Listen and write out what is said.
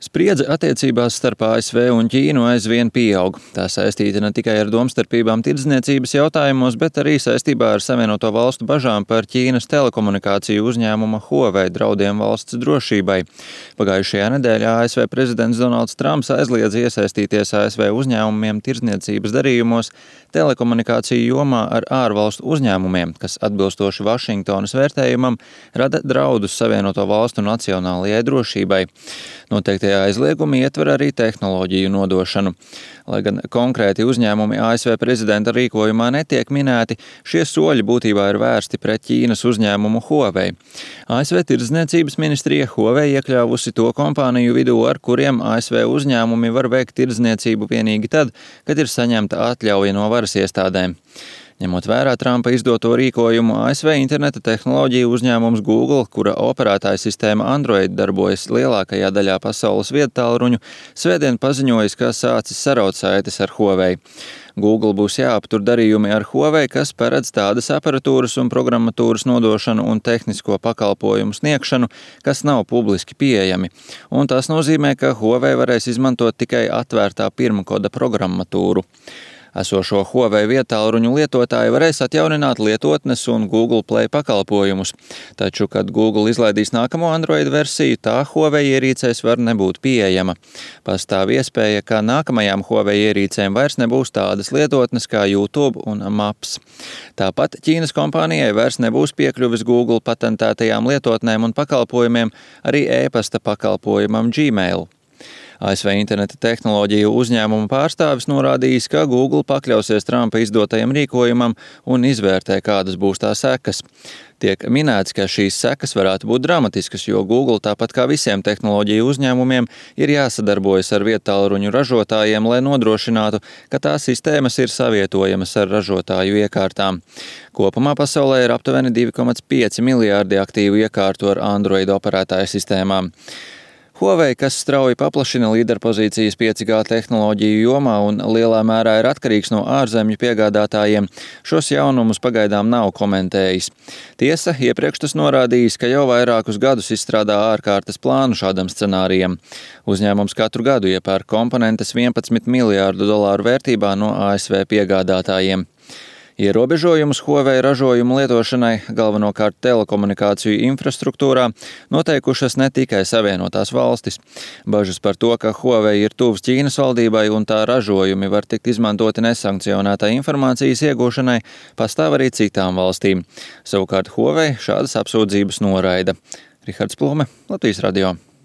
Spriedze attiecībās starp ASV un Ķīnu aizvien pieaug. Tā saistīta ne tikai ar domstarpībām tirdzniecības jautājumos, bet arī saistībā ar Savienoto Valstu bažām par Ķīnas telekomunikāciju uzņēmuma Huawei draudiem valsts drošībai. Pagājušajā nedēļā ASV prezidents Donalds Trumps aizliedz iesaistīties ASV uzņēmumiem tirdzniecības darījumos telekomunikāciju jomā ar ārvalstu uzņēmumiem, kas atbilstoši Vašingtonas vērtējumam rada draudus Savienoto Valstu nacionālajai drošībai. Noteiktie aizliegumi ietver arī tehnoloģiju nodošanu. Lai gan konkrēti uzņēmumi ASV prezidenta rīkojumā netiek minēti, šie soļi būtībā ir vērsti pret Ķīnas uzņēmumu Huawei. ASV tirdzniecības ministrija Huawei iekļāvusi to kompāniju vidū, ar kuriem ASV uzņēmumi var veikt tirdzniecību vienīgi tad, kad ir saņemta atļauja no varas iestādēm. Ņemot vērā Trumpa izdoto rīkojumu, ASV interneta tehnoloģiju uzņēmums Google, kura operētāja sistēma Android darbojas lielākajā daļā pasaules viedtālruņu, svētdien paziņojis, ka sācis saraut saites ar Huawei. Google būs jāaptur darījumi ar Huawei, kas paredz tādas aparatūras un programmatūras nodošanu un tehnisko pakalpojumu sniegšanu, kas nav publiski pieejami. Un tas nozīmē, ka Huawei varēs izmantot tikai atvērtā pirmkoda programmatūru. Esošo Huawei viedtālruņu lietotāji varēs atjaunināt lietotnes un Google Play pakalpojumus, taču, kad Google izlaidīs nākamo Android versiju, tā Huawei ierīcēs var nebūt pieejama. Pastāv iespēja, ka nākamajām Huawei ierīcēm vairs nebūs tādas lietotnes kā YouTube un Maps. Tāpat Ķīnas kompānijai vairs nebūs piekļuvis Google patentētajām lietotnēm un pakalpojumiem, arī e-pasta pakalpojumam Gmail. ASV interneta tehnoloģiju uzņēmuma pārstāvis norādījis, ka Google pakļausies Trumpa izdotajam rīkojumam un izvērtē, kādas būs tā sekas. Tiek minēts, ka šīs sekas varētu būt dramatiskas, jo Google, tāpat kā visiem tehnoloģiju uzņēmumiem, ir jāsadarbojas ar viedtālruņu ražotājiem, lai nodrošinātu, ka tās sistēmas ir savietojamas ar ražotāju iekārtām. Kopumā pasaulē ir aptuveni 2,5 miljārdi aktīvu iekārtu ar Android operētāju sistēmām. Huawei, kas strauji paplašina līderpozīcijas 5G tehnoloģiju jomā un lielā mērā ir atkarīgs no ārzemju piegādātājiem, šos jaunumus pagaidām nav komentējis. Tiesa, iepriekš tas norādījis, ka jau vairākus gadus izstrādā ārkārtas plānu šādam scenārijam. Uzņēmums katru gadu iepērk komponentes $11 miljārdu vērtībā no ASV piegādātājiem. Ierobežojumus Huawei ražojumu lietošanai, galvenokārt telekomunikāciju infrastruktūrā, noteikušas ne tikai Savienotās valstis. Bažas par to, ka Huawei ir tuvs Ķīnas valdībai un tā ražojumi var tikt izmantoti nesankcionētai informācijas iegūšanai, pastāv arī citām valstīm. Savukārt Huawei šādas apsūdzības noraida. Rihards Plume, Latvijas radio.